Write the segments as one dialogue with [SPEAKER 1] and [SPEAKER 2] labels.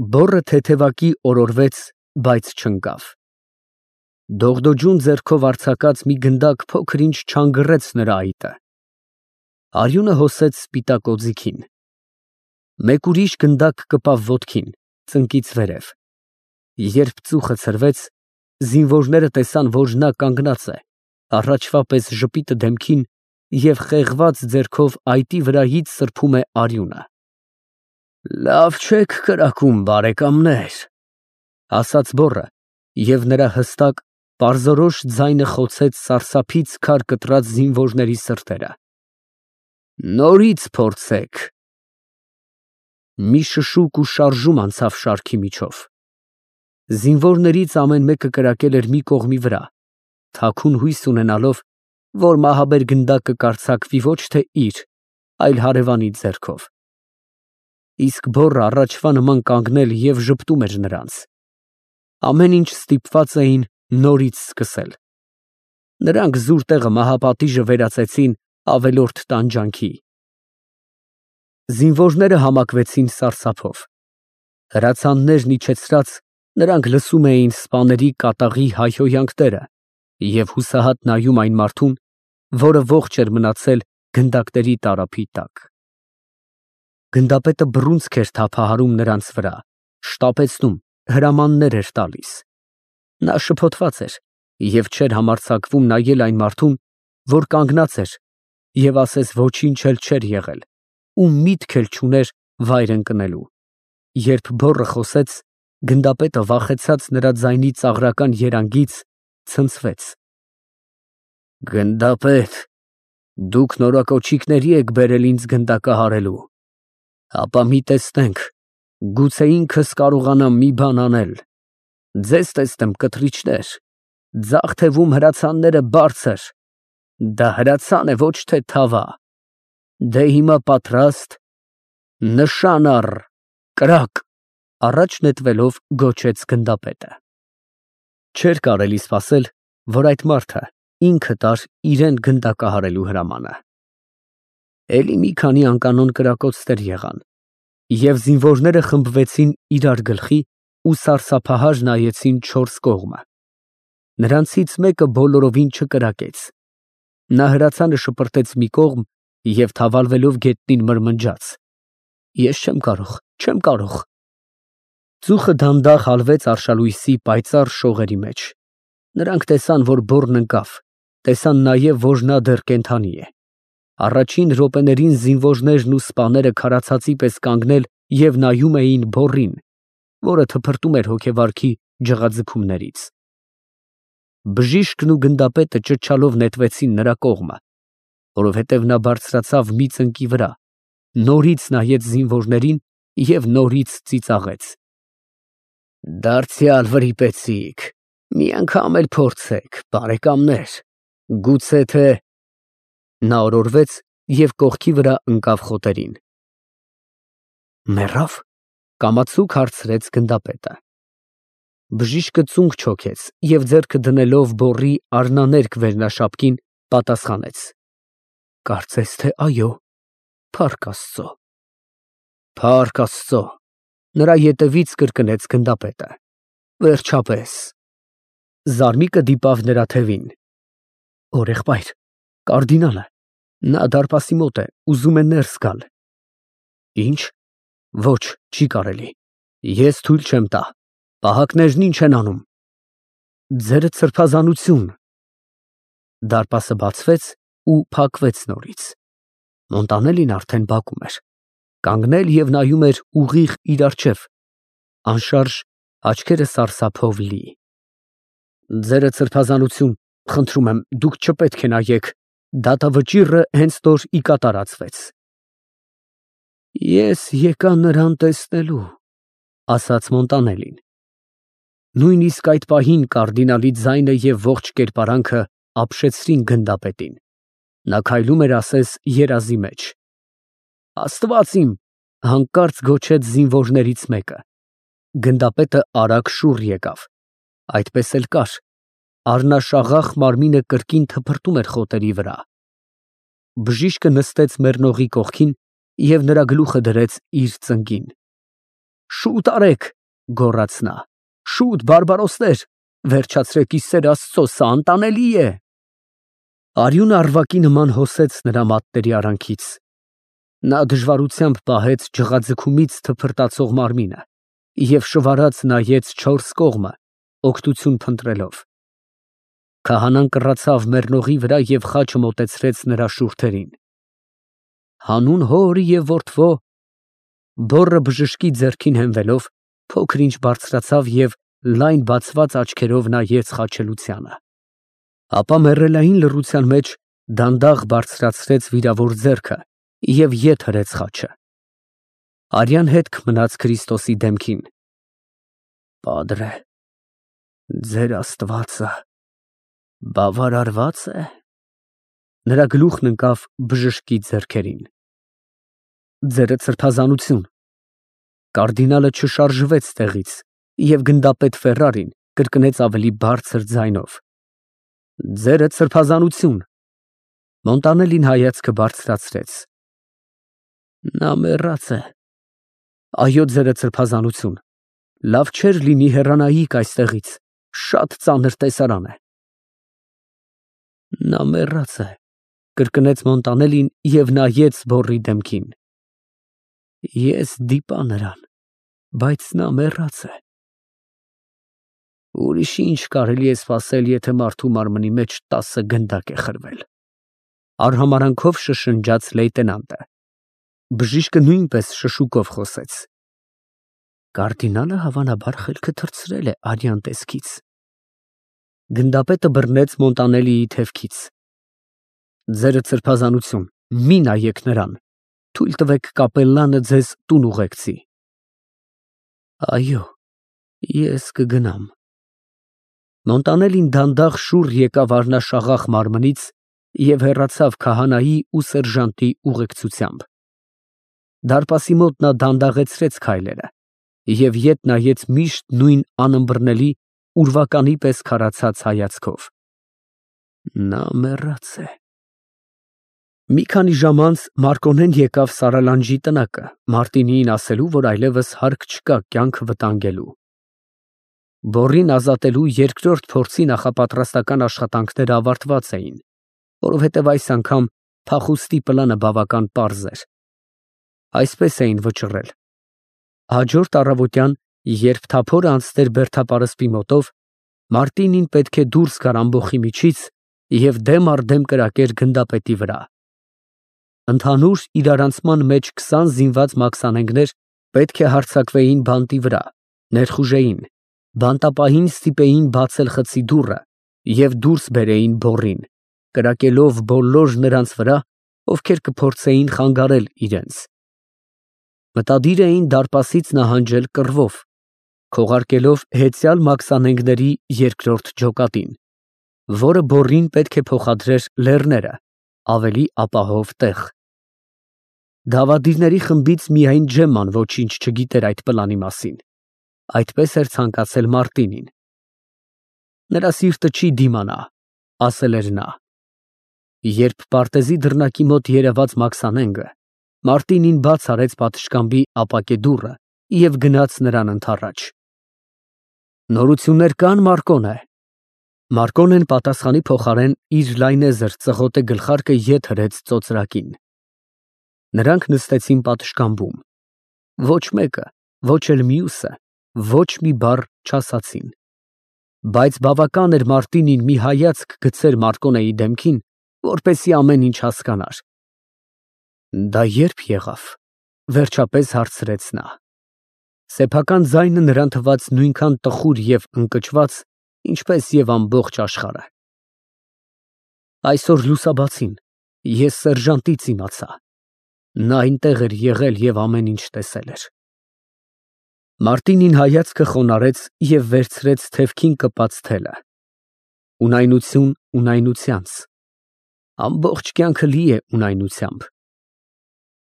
[SPEAKER 1] Բոռը թեթևակի օրորվեց, բայց չընկավ։ Դողդոջուն ձեռքով արձակած մի գնդակ փոքր-ինչ չանգռեց նրա այտը։ Արյունը հոսեց սպիտակ օձիքին։ Մեկ ուրիշ գնդակ կպավ ոտքին, ծնկից վերև։ Երբ ծուխը ցրվեց, զինվորները տեսան, որ նա կանգնած է, առաջվա պես ժպիտը դեմքին և խեղված ձեռքով այտի վրայից սրբում է արյունը։ «Լավ չեք կրակում, բարեկամներ», ֊ ասաց բոռը, և նրա հստակ, պարզորոշ ձայնը խոցեց սարսափից քար կտրած զինվորների սրտերը։ «Նորից փորձեք»։ Մի շշուկ ու շարժում անցավ շարքի միջով։ Զինվորներից ամեն մեկը կրակել էր մի կողմի վրա, թաքուն հույս ունենալով, որ մահաբեր գնդակը կարձակվի ոչ թե իր, այլ հարևանի ձեռքով։ Իսկ բոռը առաջվա նման կանգնել և ժպտում էր նրանց։ Ամեն ինչ ստիպված էին նորից սկսել։ Նրանք զուր տեղը մահապատիժը վերածեցին ավելորդ տանջանքի։ Զինվորները համակվեցին սարսափով։ Հրացաններն իջեցրած, նրանք լսում էին սպաների կատաղի հայհոյանքները և հուսահատ նայում այն մարդուն, որը ողջ էր մնացել գնդակների տարափի տակ։ Գնդապետը բռունցք էր թափահարում նրանց վրա, շտապեցնում, հրամաններ էր տալիս։ Նա շփոթված էր և չէր համարձակվում նայել այն մարդուն, որ կանգնած էր և ասես ոչինչ էլ չէր եղել, ու միտք էլ չուներ վայր ընկնելու։ Երբ բոռը խոսեց, գնդապետը վախեցած նրա ձայնի ծաղրական երանգից, ցնցվեց։ «Գնդապետ, դուք նորակոչիկների եք բերել ինձ գնդակահարելու։ Ապա մի տեսնենք, գուցե ինքս կարողանամ մի բան անել։ Ձեզ տեսնեմ, կտրիչներ, ձախ թևում հրացանները բարձր, դա հրացան է, ոչ թե թավա։ Դե հիմա պատրաստ, նշան առ, կրակ», առաջ նետվելով գոչեց գնդապետը։ Չէր կարելի սպասել, որ այդ մարդը ինքը տար իրան գնդակահարելու հրամանը։ Էլի մի քանի անկանոն կրակոցներ եղան, և զինվորները խմբվեցին իրար գլխի ու սարսափահար նայեցին չորս կողմը։ Նրանցից մեկը բոլորովին չկրակեց։ Նա հրացանը շպրտեց մի կողմ և թավալվելով գետնին մրմնջաց. «Ես չեմ կարող»։ Ծուխը դանդաղ հալվեց արշալույսի պայծառ շողերի մեջ։ Նրանք տեսան, որ բոռն ընկավ, տեսան նաև, որ նա դեռ կենդանի է։ Առաջին րոպեներին զինվորներն ու սպաները քարացածի պես կանգնել և նայում էին բոռին, որը թփրտում էր հոգեվարքի ջղաձգումներից։ Բժիշկն ու գնդապետը ճչալով նետվեցին նրա կողմը, որովհետև նա բարձրացավ մի ծնկի վրա, նորից նայեց զինվորներին և նորից ծիծաղեց։ «Դարձյալ վրիպեցիք, մի անգամ էլ փորձեք, բարեկամներ, գուցե թե…»։ Նա օրորվեց և կողքի վրա ընկավ խոտերին։ «Մեռա՞վ», կամացուկ հարցրեց գնդապետը։ Բժիշկը ծունկ չոքեց և ձեռքը դնելով բոռի արնաներկ վերնաշապկին, պատասխանեց. «Կարծես թե այո, փառք Աստծո»։ «Փառք Աստծո», նրա ետևից կրկնեց գնդապետը։ «Վերջապես»։ Զարմիկը դիպավ նրա թևին։ «Հորեղբայր, կարդինալը, նա դարպասի մոտ է, ուզում է ներս գալ»։ «Ի՞նչ, ոչ, չի կարելի, ես թույլ չեմ տա, պահակներն ի՞նչ են անում»։ «Ձերդ սրբազանություն»։ Դարպասը բացվեց ու փակվեց նորից։ Մոնտանելին արդեն բակում էր, կանգնել և նայում էր ուղիղ իր առջև, անշարժ, աչքերը սարսափով լի։ «Ձերդ սրբազանություն, խնդրում եմ, դուք չպետք է նայեք, դատավճիռը հենց նոր ի կատարածվեց»։ «Ես եկա նրան տեսնելու», ֊ ասաց Մոնտանելին։ Նույնիսկ այդ պահին կարդինալի ձայնը և ողջ կերպարանքը ապշեցրին գնդապետին։ Նա քայլում էր ասես երազի մեջ։ «Աստված իմ», ֊ հանկարծ գոչեց զինվորներից մեկը։ Գնդապետը արագ շուռ եկավ։ Այդպես էլ կար։ Առնաշաղախ մարմինը կրկին թփրտում էր խոտերի վրա։ Բժիշկը նստեց մեռնողի կողքին և նրա գլուխը դրեց իր ծնկին։ Շուտ արեք, գոռաց նա, շուտ բարբարոսներ, վերջացրեք ի սեր Աստծո, սա անտանելի է։ Արյունը արվակի նման հոսեց նրա մատների արանքից։ Նա դժվարությամբ պահեց ջղաձգումից թփրտացող մարմինը և շվարած նայեց չորս կողմը, օգնություն փնտրելով։ Քահանան կռացավ մեռնողի վրա և խաչը մոտեցրեց նրա շուրթերին։ Հանուն Հոր և Որդվո, բոռը բժշկի ձեռքին հենվելով, փոքր-ինչ բարձրացավ և լայն բացված աչքերով նայեց խաչելությանը։ Ապա մեռելային լռության մեջ դանդաղ բարձրացրեց վիրավոր ձեռքը և ետ հրեց խաչը։ Արյան հետք մնաց Քրիստոսի դեմքին։ Պատրե, ձեր Աստվածը բավարարված է։ Նրա գլուխն ընկավ բժշկի ձեռքերին։ Ձերը սրբազանություն։ Կարդինալը չշարժվեց տեղից և գնդապետ Ֆերրարին կրկնեց ավելի բարձր ձայնով. Ձերը սրբազանություն։ Մոնտանելին հայացքը բարձրացրեց։ Նա մեռած է։ Այո, ձերը սրբազանություն։ Լավ չէր լինի հեռանայիք այստեղից, շատ ծանր տեսարան է։ Նա մեռած է, կրկնեց Մոնտանելին և նայեց բոռի դեմքին։ Ես դիպա նրան, բայց նա մեռած է։ Ուրիշ ինչ կարելի է սպասել, եթե մարդու մարմնի մեջ 10 գնդակ է խրվել, արհամարանքով շշնջաց լեյտենանտը։ Բժիշկը նույնպես շշուկով խոսեց։ Կարդինալը հավանաբար խելքը թռցրել է արյան տեսքից։ Գնդապետը բռնեց Մոնտանելիի թևքից։ Ձերը սրբազանություն, մի նայեք նրան, թույլ տվեք կապելլանը ձեզ տուն ուղեկցի։ Այո, ես կգնամ։ Մոնտանելին դանդաղ շուռ եկավ առնաշաղախ մարմնից և հեռացավ քահանայի ու սերժանտի ուղեկցությամբ։ Դարպասի մոտ նա դանդաղեցրեց քայլերը և ետ նայեց միշտ նույն անըմբռնելի ուրվականի պես քարացած հայացքով։ Նա մեռած է։ Մի քանի ժամ անց Մարկոնեն եկավ Սարալանջի տնակը, Մարտինիին ասելու, որ այլևս հարկ չկա կյանքը վտանգելու։ Բոռին ազատելու երկրորդ փորձի նախապատրաստական աշխատանքները ավարտված էին, որովհետև այս անգամ փախուստի պլանը բավական պարզ էր։ Այսպես էին վճռել. հաջորդ առավոտյան, երբ թափորը անցներ Բերդապարսպի մոտով, Մարտինին պետք է դուրս գար ամբոխի միջից և դեմ առ դեմ կրակեր գնդապետի վրա։ Ընդհանուր իրարանցման մեջ 20 զինված մաքսանենգներ պետք է հարձակվեին բանտի վրա, ներխուժեին, բանտապահին ստիպեին բացել խցի դուռը և դուրս բերեին բոռին, կրակելով բոլոր նրանց վրա, ովքեր կփորձեին խանգարել իրենց։ Մտադիր էին դարպասից նահանջել կռվով, քողարկելով հեծյալ մաքսանենգների երկրորդ ջոկատին, որը բոռին պետք է փոխադրեր լեռները, ավելի ապահով տեղ։ Դավադիրների խմբից միայն Ջեմման ոչինչ չգիտեր այդ պլանի մասին։ Այդպես էր ցանկացել Մարտինին։ Նրա սիրտը չի դիմանա, ասել էր նա։ Երբ պարտեզի դռնակի մոտ երևաց մաքսանենգը, Մարտինին բաց արեց պատշգամբի ապակե դուռը և գնաց նրան ընդառաջ։ Նորություններ կան, Մարկոնե։ Մարկոնեն պատասխանի փոխարեն իր լայնեզր ծղոտե գլխարկը ետ հրեց ծոծրակին։ Նրանք նստեցին պատշգամբում։ Ոչ մեկը, ոչ էլ մյուսը ոչ մի բառ չասացին։ Բայց բավական էր Մարտինին մի հայացք գցեր Մարկոնեի դեմքին, որպեսզի ամեն ինչ հասկանար։ Դա ե՞րբ եղավ, վերջապես հարցրեց նա։ Սեփական ձայնը նրան թվաց նույնքան տխուր և ընկճված, ինչպես և ամբողջ աշխարհը։ Այսօր լուսաբացին ես սերժանտից իմացա։ Նա այնտեղ էր եղել և ամեն ինչ տեսել էր։ Մարտինին հայացքը խոնարհեց և վերցրեց թևքին կպած թելը։ Ունայնություն ունայնությանց։ Ամբողջ կյանքը լի է ունայնությամբ։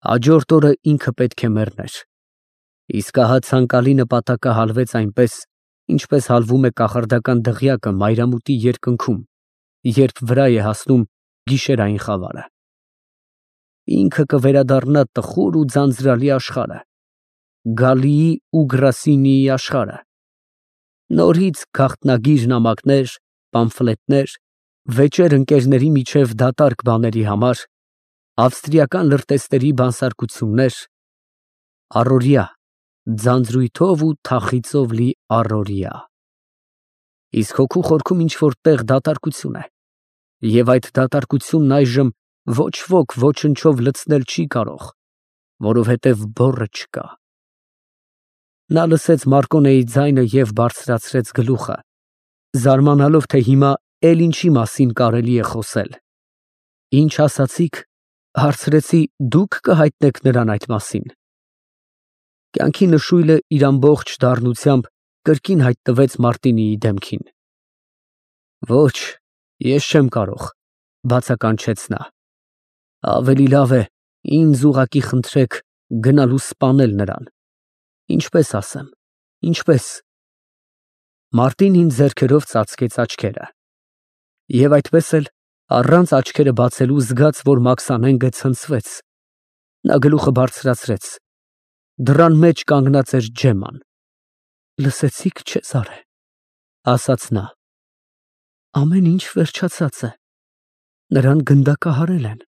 [SPEAKER 1] Հաջորդ օրը ինքը պետք է մեռներ։ Իսկ ահա ցանկալի նպատակը հալվեց այնպես, ինչպես հալվում է կախարդական դղյակը մայրամուտի երկնքում, երբ վրա է հասնում գիշերային խավարը։ Ինքը կվերադառնա տխուր ու ձանձրալի աշխարհը։ Գալիի ու Գրասինիի աշխարհը։ Նորից գաղտնագիր նամակներ, պամֆլետներ, վեճեր ընկերների միջև դատարկ բաների համար, ավստրիական լրտեսների բանսարկություններ, առօրյա, ձանձրույթով ու թախիծով լի առօրյա։ Իսկ հոգու խորքում ինչ-որ տեղ դատարկություն է, և այդ դատարկությունն այժմ ոչ ոք ոչնչով լցնել չի կարող, որովհետև բոռը չկա։ Նա լսեց Մարկոնեի ձայնը և բարձրացրեց գլուխը, զարմանալով, թե հիմա էլ ինչի մասին կարելի է խոսել։ Ինչ ասացիք, հարցրեցի, դուք կհայտնեք նրան այդ մասին։ Կյանքի նշույլը իր ամբողջ դառնությամբ կրկին հայտնվեց Մարտինիի դեմքին։ Ոչ, ես չեմ կարող, բացականչեց նա։ Ավելի լավ է ինձ ուղղակի խնդրեք գնալ ու սպանել նրան։ Ինչպես ասեմ, ինչպես։ Մարտինին ձեռքերով ծածկեց աչքերը։ Եվ այդպես էլ, առանց աչքերը բացելու զգաց, որ Մաքսանենգը ցնցվեց։ Նա գլուխը բարձրացրեց։ Դռան մեջ կանգնած էր Ջեմման։ Լսեցի՞ք, Չեզարե, ասաց նա։ Ամեն ինչ վերջացած է։ Նրան գնդակահարել են։